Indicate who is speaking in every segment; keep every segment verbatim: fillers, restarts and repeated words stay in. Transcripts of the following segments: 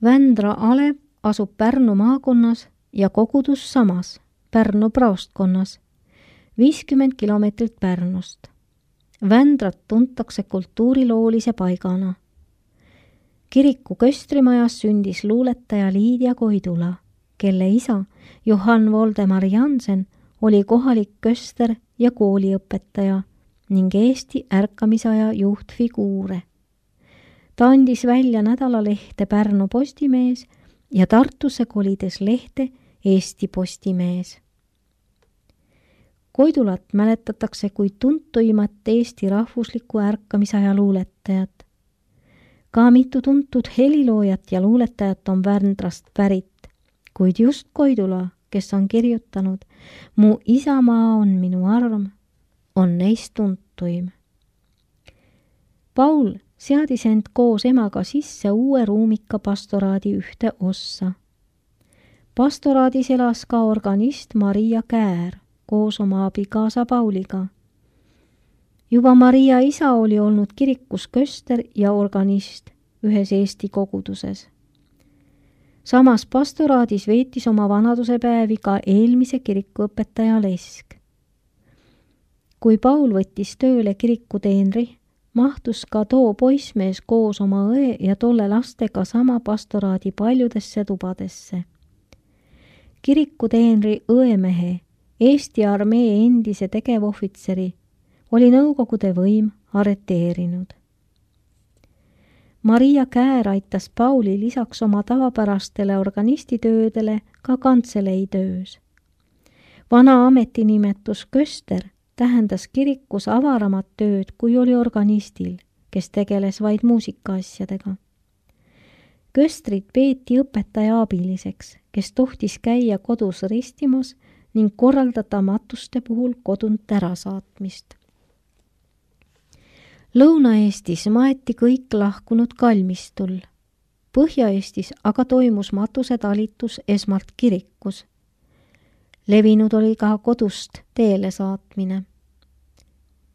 Speaker 1: Vändra alev asub Pärnu maakonnas ja kogudus samas, Pärnu praostkonnas, viiskümmend kilomeetrit Pärnust. Vändrat tuntakse kultuuriloolise paigana. Kiriku köstrimajas sündis luuletaja Liidia Koidula, kelle isa Johann Voldemar Jansen oli kohalik köster ja kooliõpetaja ning Eesti ärkamisaja juhtfiguure. Ta andis välja nädalalehte Pärnu Postimees ja Tartusse kolides lehte Eesti Postimees. Koidulat mäletatakse kui tuntuimat Eesti rahvusliku ärkamisaja luuletajat. Ka mitu tuntud heliloojat ja luuletajat on Vändrast pärit, kuid just Koidula, kes on kirjutanud Mu isamaa on minu arm, on neist tuntuim. Paul seadis end koos emaga sisse uue ruumika pastoraadi ühte ossa. Pastoraadis elas ka organist Maria Käär koos oma abikaasa Pauliga. Juba Maria isa oli olnud kirikus köster ja organist ühes Eesti koguduses. Samas pastoraadis veetis oma vanadusepäevi ka eelmise kirikuõpetaja Lesk. Kui Paul võttis tööle kirikuteenri, mahtus ka too poissmees koos oma õe ja tolle lastega sama pastoraadi paljudesse tubadesse. Kirikuteenri õemehe, Eesti armee endise tegevohvitseri, oli Nõukogude võim arreteerinud. Maria Käär aitas Pauli lisaks oma tavapärastele organistitöödele ka kantseleitöös. Vana ametinimetus köster tähendas kirikus avaramat tööd, kui oli organistil, kes tegeles vaid muusikaasjadega. Köstrit peeti õpetaja abiliseks, kes tohtis käia kodus ristimas ning korraldada matuste puhul kodunt ära saatmist. Lõuna-Eestis maeti kõik lahkunud kalmistul. Põhja-Eestis aga toimus matusetalitus esmalt kirikus. Levinud oli ka kodust teele saatmine.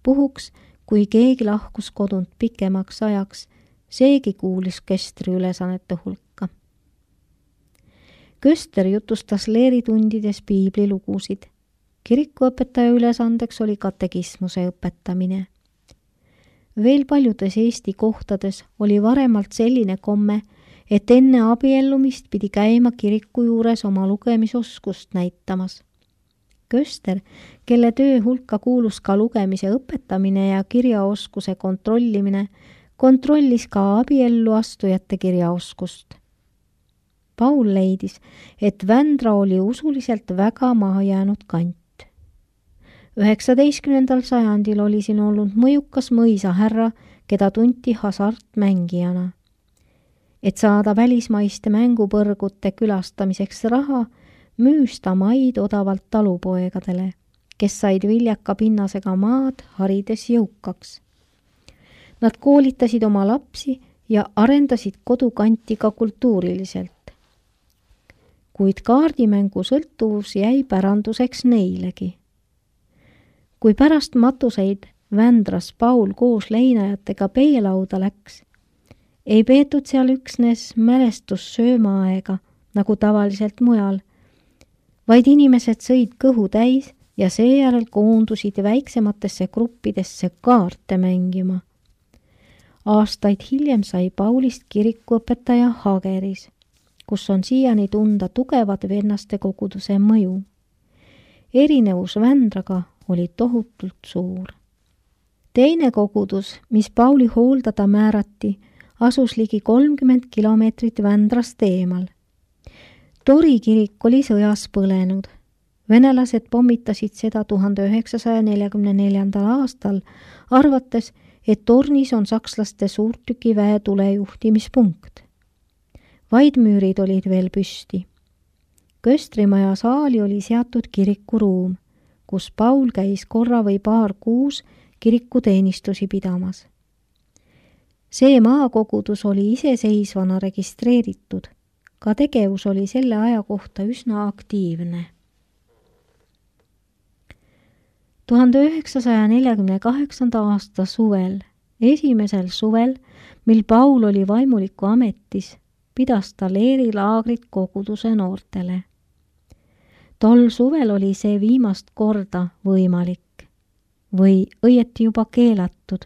Speaker 1: Puhuks, kui keegi lahkus kodunt pikemaks ajaks, seegi kuulis köstri ülesannete hulka. Köster jutustas leeritundides piiblilugusid. Kirikuõpetaja ülesandeks oli katekismuse õpetamine. Veel paljudes Eesti kohtades oli varemalt selline komme, et enne abiellumist pidi käima kiriku juures oma lugemisoskust näitamas. Köster, kelle töö hulka kuulus ka lugemise õpetamine ja kirjaoskuse kontrollimine, kontrollis ka abiellu astujate kirjaoskust. Paul leidis, et Vändra oli usuliselt väga maha jäänud kant. üheksateistkümnendal sajandil oli siin olnud mõjukas mõisahärra, keda tunti hasartmängijana. Et saada välismaiste mängupõrgute külastamiseks raha, müüs ta maid odavalt talupoegadele, kes said viljaka pinnasega maad harides jõukaks. Nad koolitasid oma lapsi ja arendasid kodukanti ka kultuuriliselt. Kuid kaardimängu sõltuvus jäi päranduseks neilegi. Kui pärast matuseid Vändras Paul koos leinajatega peelauda läks, ei peetud seal üksnes mälestussöömaaega, nagu tavaliselt mujal, vaid inimesed sõid kõhu täis ja seejärel koondusid väiksematesse gruppidesse kaarte mängima. Aastaid hiljem sai Paulist kirikuõpetaja Hageris, kus on siiani tunda tugevad vennaste koguduse mõju. Erinevus Vändraga oli tohutult suur. Teine kogudus, mis Pauli hooldada määrati, asus ligi kolmkümmend kilomeetrit Vändrast eemal. Tori kirik oli sõjas põlenud. Venelased pommitasid seda tuhande üheksasaja neljakümne neljandal aastal, arvates, et tornis on sakslaste suurtükiväe tulejuhtimispunkt. Vaid müürid olid veel püsti. Köstrimaja saali oli seatud kirikuruum, kus Paul käis korra või paar kuus kirikuteenistusi pidamas. See maakogudus oli iseseisvana registreeritud, ka tegevus oli selle aja kohta üsna aktiivne. tuhande üheksasaja neljakümne kaheksanda aasta suvel, esimesel suvel, mil Paul oli vaimuliku ametis, pidas ta leerilaagrit koguduse noortele. Tol suvel oli see viimast korda võimalik või õieti juba keelatud,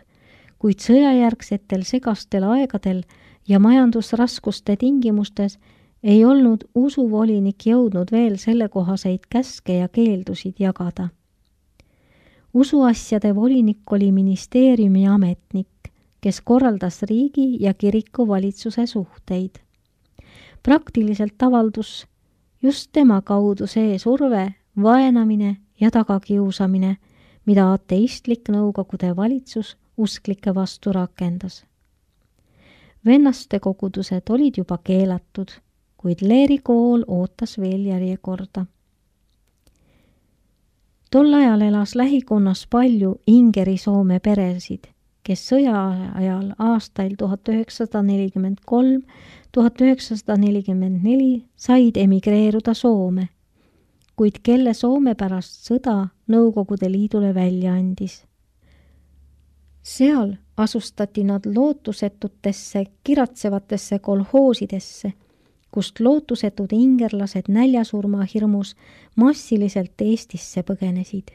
Speaker 1: kuid sõjajärgsetel segastel aegadel ja majandusraskuste tingimustes ei olnud usuvolinik jõudnud veel sellekohaseid käske ja keeldusid jagada. Usuasjade volinik oli ministeeriumi ametnik, kes korraldas riigi ja kiriku valitsuse suhteid. Praktiliselt avaldus just tema kaudu see surve, vaenamine ja tagakiusamine, mida ateistlik Nõukogude valitsus usklike vastu rakendas. Vennaste kogudused olid juba keelatud, kuid leerikool ootas veel järjekorda. Tol ajal elas lähikonnas palju Ingeri-Soome peresid, kes sõja ajal aastail tuhat üheksasada nelikümmend kolm tuhat üheksasada nelikümmend neli said emigreeruda Soome, kuid kelle Soome pärast sõda Nõukogude Liidule välja andis. Seal asustati nad lootusetutesse, kiratsevatesse kolhoosidesse, kust lootusetud ingerlased näljasurma hirmus massiliselt Eestisse põgenesid.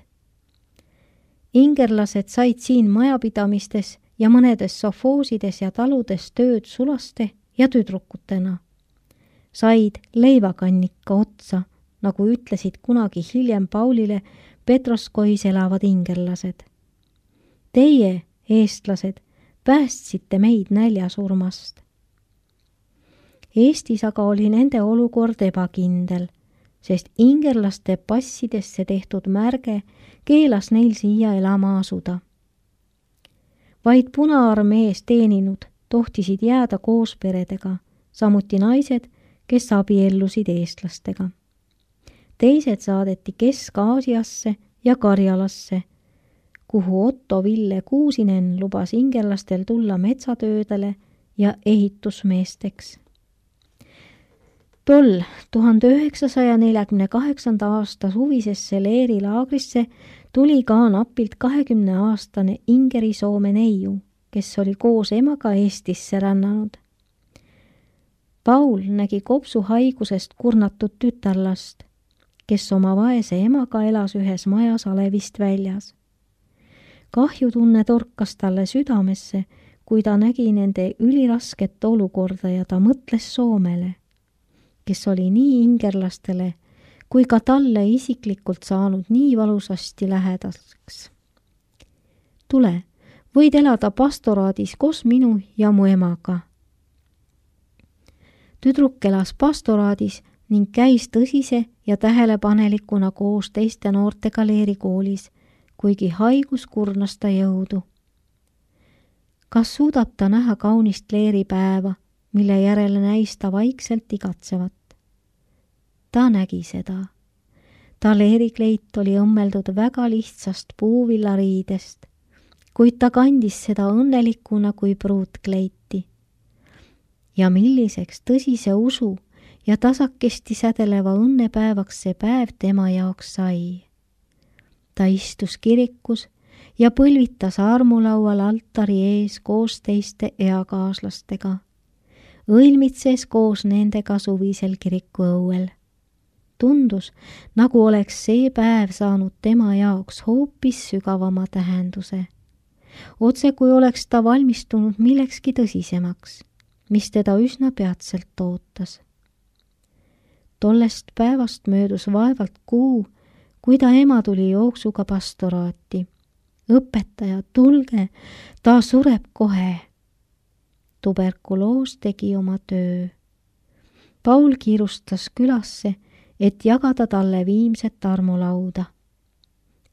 Speaker 1: Ingerlased said siin majapidamistes ja mõnedes sofoosides ja taludes tööd sulaste ja tüdrukutena. Said leivakannika otsa, nagu ütlesid kunagi hiljem Paulile Petroskois elavad ingerlased. Teie, eestlased, päästsite meid näljasurmast. Eestis aga oli nende olukord ebakindel, sest ingerlaste passidesse tehtud märge keelas neil siia elama asuda. Vaid Punaarmees teeninud tohtisid jääda koos peredega, samuti naised, kes abiellusid eestlastega. Teised saadeti Kesk-Aasiasse ja Karjalasse, kuhu Otto Ville Kuusinen lubas ingerlastel tulla metsatöödele ja ehitusmeesteks. Tol tuhande üheksasaja neljakümne kaheksanda aasta suvisesse leerilaagrisse tuli ka napilt kahekümneaastane Ingeri-Soome neiu, kes oli koos emaga Eestisse rännanud. Paul nägi kopsuhaigusest kurnatud tütarlast, kes oma vaese emaga elas ühes majas alevist väljas. Kahjutunne torkas talle südamesse, kui ta nägi nende ülirasket olukorda ja ta mõtles Soomele, kes oli nii ingerlastele kui ka talle isiklikult saanud nii valusasti lähedaseks. Tule, võid elada pastoraadis koos minu ja mu emaga. Tüdruk elas pastoraadis ning käis tõsise ja tähelepanelikuna koos teiste noortega leerikoolis, kuigi haigus kurnas ta jõudu. Kas suudab ta näha kaunist leeripäeva, mille järele näis ta vaikselt igatsevat? Ta nägi seda. Ta leerikleit oli õmmeldud väga lihtsast puuvillariidest, kuid ta kandis seda õnnelikuna kui pruutkleiti. Ja milliseks tõsise usu ja tasakesti sädeleva õnnepäevaks see päev tema jaoks sai. Ta istus kirikus ja põlvitas armulaual altari ees koos teiste eakaaslastega, õilmitses koos nendega suvisel kirikuõuel. Tundus, nagu oleks see päev saanud tema jaoks hoopis sügavama tähenduse. Otse kui oleks ta valmistunud millekski tõsisemaks, mis teda üsna peatselt ootas. Tollest päevast möödus vaevalt kuu, kui ta ema tuli jooksuga pastoraati. Õpetaja, tulge, ta sureb kohe. Tuberkuloos tegi oma töö. Paul kiirustas külasse, et jagada talle viimset armulauda.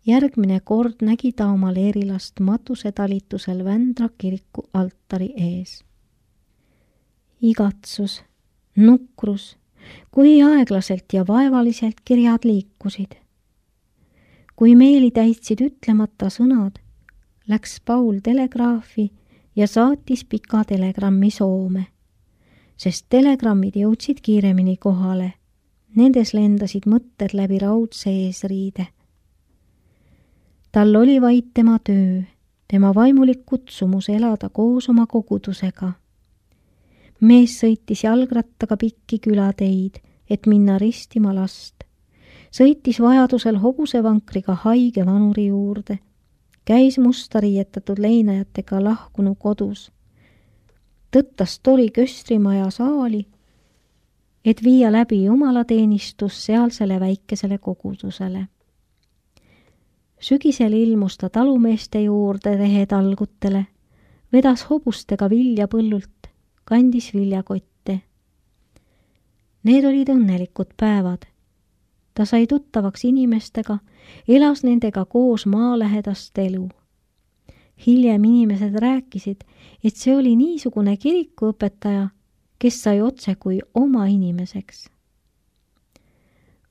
Speaker 1: Järgmine kord nägi ta oma leerilast matusetalitusel Vändra kiriku altari ees. Igatsus, nukrus, kui aeglaselt ja vaevaliselt kirjad liikusid. Kui meeli täitsid ütlemata sõnad, läks Paul telegraafi ja saatis pika telegrammi Soome, sest telegrammid jõudsid kiiremini kohale. Nendes lendasid mõtted läbi raudse eesriide. Tal oli vaid tema töö, tema vaimulik kutsumus elada koos oma kogudusega. mees sõitis jalgrattaga pikki külateid, et minna ristima last. Sõitis vajadusel hobusevankriga haige vanuri juurde. Käis musta riietatud leinajatega lahkunu kodus. Tõttas tori köstrimaja saali, et viia läbi jumalateenistus sealsele väikesele kogudusele. Sügisel ilmus ta talumeeste juurde rehetalgutele, vedas hobustega vilja põllult, kandis viljakotte. Need olid õnnelikud päevad. Ta sai tuttavaks inimestega, elas nendega koos maalähedast elu. Hiljem inimesed rääkisid, et see oli niisugune kirikuõpetaja, kes sai otse kui oma inimeseks.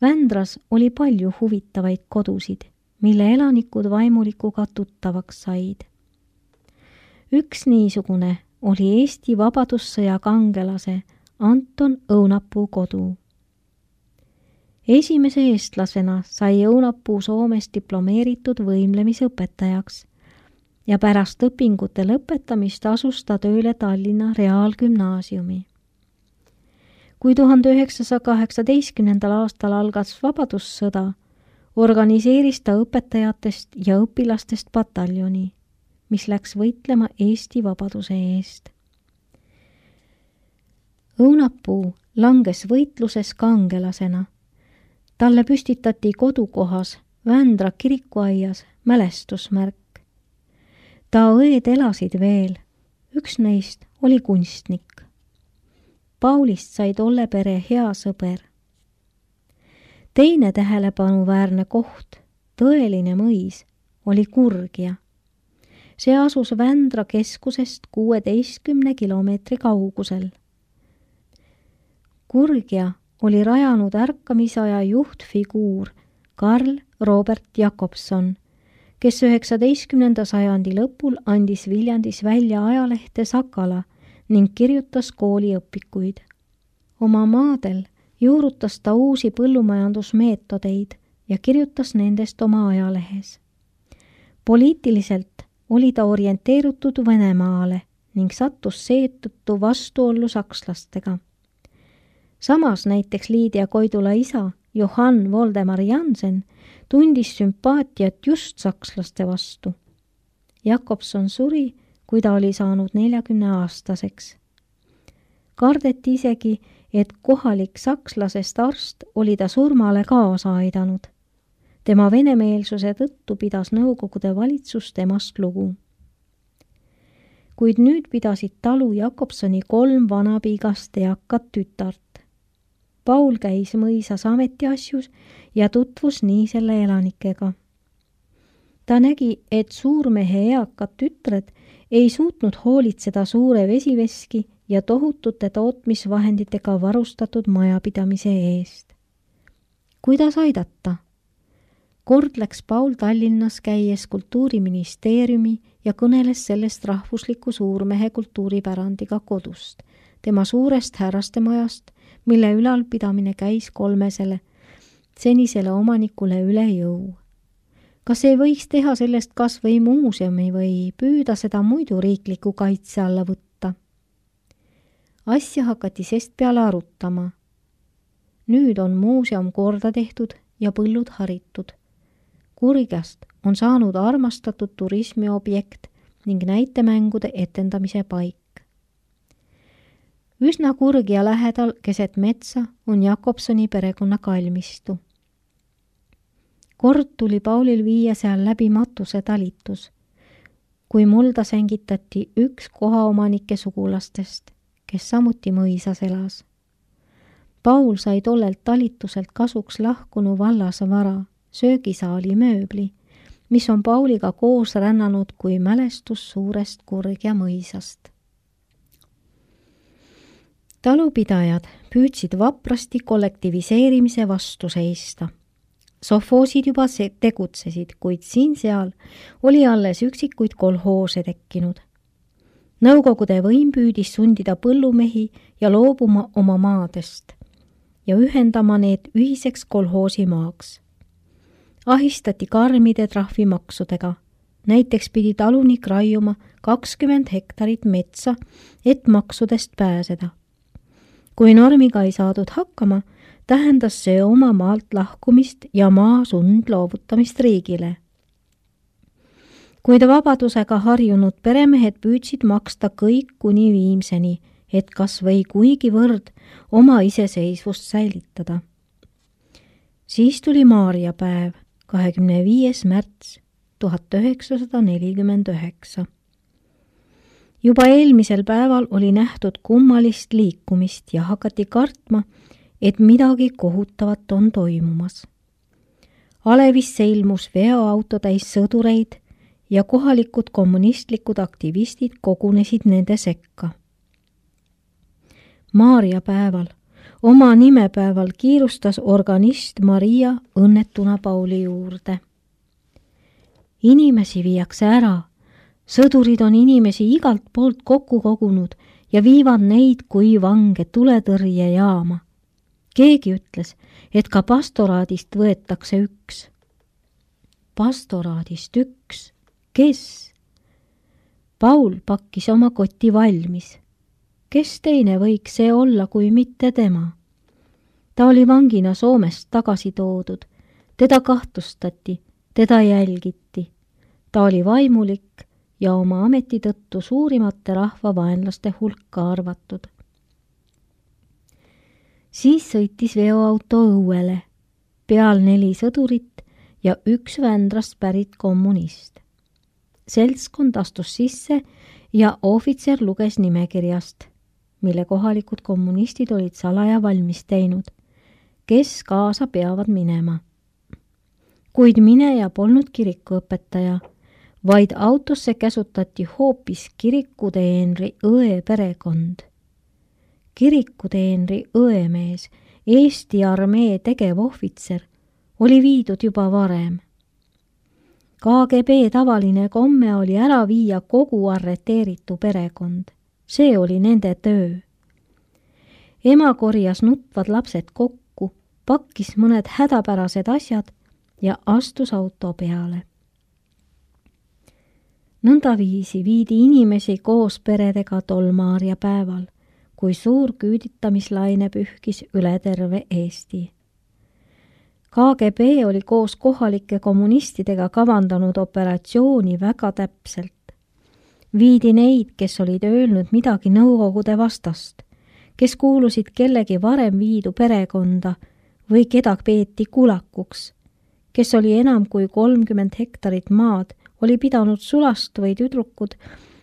Speaker 1: Vändras oli palju huvitavaid kodusid, mille elanikud vaimulikuga tuttavaks said. Üks niisugune oli Eesti Vabadussõja kangelase Anton Õunapuu kodu. Esimese eestlasena sai Õunapuu Soomes diplomeeritud võimlemisõpetajaks ja pärast õpingute lõpetamist asus ta tööle Tallinna Reaalgümnaasiumi. Kui tuhande üheksasaja kaheksateistkümnendal aastal algas Vabadussõda, organiseeris ta õpetajatest ja õpilastest pataljoni, mis läks võitlema Eesti vabaduse eest. Õunapuu langes võitluses kangelasena. Talle püstitati kodukohas Vändra kirikuaias mälestusmärk. Ta õed elasid veel, üks neist oli kunstnik. Paulist sai tolle pere hea sõber. Teine tähelepanuväärne koht, tõeline mõis, oli Kurgia. See asus Vändra keskusest kuueteistkümne kilomeetri kaugusel. Kurgia oli rajanud ärkamisaja juhtfiguur Karl Robert Jakobson, kes üheksateistkümnenda sajandi lõpul andis Viljandis välja ajalehte Sakala ning kirjutas kooliõpikuid. Oma maadel juurutas ta uusi põllumajandusmeetodeid ja kirjutas nendest oma ajalehes. Poliitiliselt oli ta orienteerutud Venemaale ning sattus seetõttu vastuollu sakslastega. Samas näiteks Liidia Koidula isa Johann Voldemar Jansen tundis sümpaatiat just sakslaste vastu. Jakobson suri, kui ta oli saanud neljakümne aastaseks. Kardeti isegi, et kohalik sakslasest arst oli ta surmale kaasa aidanud. Tema venemeelsuse tõttu pidas Nõukogude valitsus temast lugu. Kuid nüüd pidasid talu Jakobsoni kolm vanapiigast eakat tütart. Paul käis mõisas ametiasjus ja tutvus nii selle elanikega. Ta nägi, et suurmehe eakad tütred ei suutnud hoolitseda suure vesiveski ja tohutute tootmisvahenditega varustatud majapidamise eest. Kuidas aidata? Kord läks Paul Tallinnas käies Kultuuriministeeriumi ja kõneles sellest rahvusliku suurmehe kultuuripärandiga kodust, tema suurest härrastemajast, mille ülalpidamine käis kolmesele, senisele omanikule üle jõu. Kas ei võiks teha sellest kas või muuseumi või püüda seda muidu riikliku kaitse alla võtta? Asja hakati sest peale arutama. Nüüd on muuseum korda tehtud ja põllud haritud. Kurgiast on saanud armastatud turismiobjekt ning näitemängude etendamise paik. Üsna Kurgia lähedal keset metsa on Jakobsoni perekonna kalmistu. Kord tuli Paulil viia seal läbi matuse talitus, kui mulda sängitati üks kohaomanike sugulastest, kes samuti mõisas elas. Paul sai tollelt talituselt kasuks lahkunu vallase vara, söögisaali mööbli, mis on Pauliga koos rännanud kui mälestus suurest Kurgia mõisast. Talupidajad püüdsid vaprasti kollektiviseerimise vastu seista. Sovhoosid juba tegutsesid, kuid siin-seal oli alles üksikuid kolhoose tekkinud. Nõukogude võim püüdis sundida põllumehi ja loobuma oma maadest ja ühendama need ühiseks kolhoosimaaks. Ahistati karmide trahvimaksudega, näiteks pidi talunik raiuma kakskümmend hektarit metsa, et maksudest pääseda. Kui normiga ei saadud hakkama, tähendas see oma maalt lahkumist ja maa sundloovutamist riigile. Kuid vabadusega harjunud peremehed püüdsid maksta kõik kuni viimseni, et kas või kuigivõrd oma iseseisvust säilitada. Siis tuli Maarja päev, kahekümne viies märts tuhat üheksasada nelikümmend üheksa. Juba eelmisel päeval oli nähtud kummalist liikumist ja hakati kartma, et midagi kohutavat on toimumas. Alevisse ilmus veoauto täis sõdureid ja kohalikud kommunistlikud aktivistid kogunesid nende sekka. Maarja päeval, oma nimepäeval kiirustas organist Maria õnnetuna Pauli juurde. Inimesi viiakse ära, sõdurid on inimesi igalt poolt kokku kogunud ja viivad neid kui vange tuletõrjejaama. Keegi ütles, et ka pastoraadist võetakse üks. Pastoraadist üks? Kes? Paul pakkis oma koti valmis. Kes teine võiks see olla kui mitte tema? Ta oli vangina Soomest tagasi toodud. Teda kahtlustati, teda jälgiti. Ta oli vaimulik ja oma ameti tõttu suurimate rahvavaenlaste hulka arvatud. Siis sõitis veoauto õuele, peal neli sõdurit ja üks Vändrast pärit kommunist. Seltskond astus sisse ja ohvitser luges nimekirjast, mille kohalikud kommunistid olid salaja valmis teinud, kes kaasa peavad minema. Kuid mineja polnud kirikuõpetaja, vaid autosse käsutati hoopis kirikuteenri õe perekond. Kirikuteenri õemees, Eesti armee tegevohvitser, oli viidud juba varem. K G B tavaline komme oli ära viia kogu arreteeritu perekond. See oli nende töö. Ema korjas nutvad lapsed kokku, pakkis mõned hädapärased asjad ja astus auto peale. Nõnda viisi viidi inimesi koos peredega tol Maarja päeval, kui suur küüditamislaine pühkis üle terve Eesti. K G B oli koos kohalike kommunistidega kavandanud operatsiooni väga täpselt. Viidi neid, kes olid öelnud midagi nõukogude vastast, kes kuulusid kellegi varem viidu perekonda või keda peeti kulakuks, kes oli enam kui kolmkümmend hektarit maad, oli pidanud sulast või tüdrukud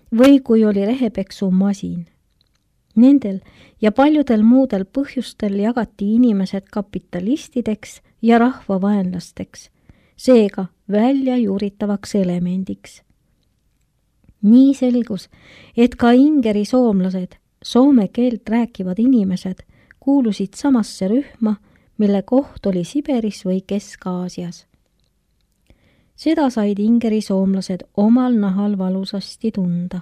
Speaker 1: või kui oli rehepeksumasin. Nendel ja paljudel muudel põhjustel jagati inimesed kapitalistideks ja rahvavaenlasteks, seega välja juuritavaks elemendiks. Nii selgus, et ka ingeri soomlased, soome keelt rääkivad inimesed, kuulusid samasse rühma, mille koht oli Siberis või Kesk-Aasias. Seda said ingeri soomlased omal nahal valusasti tunda.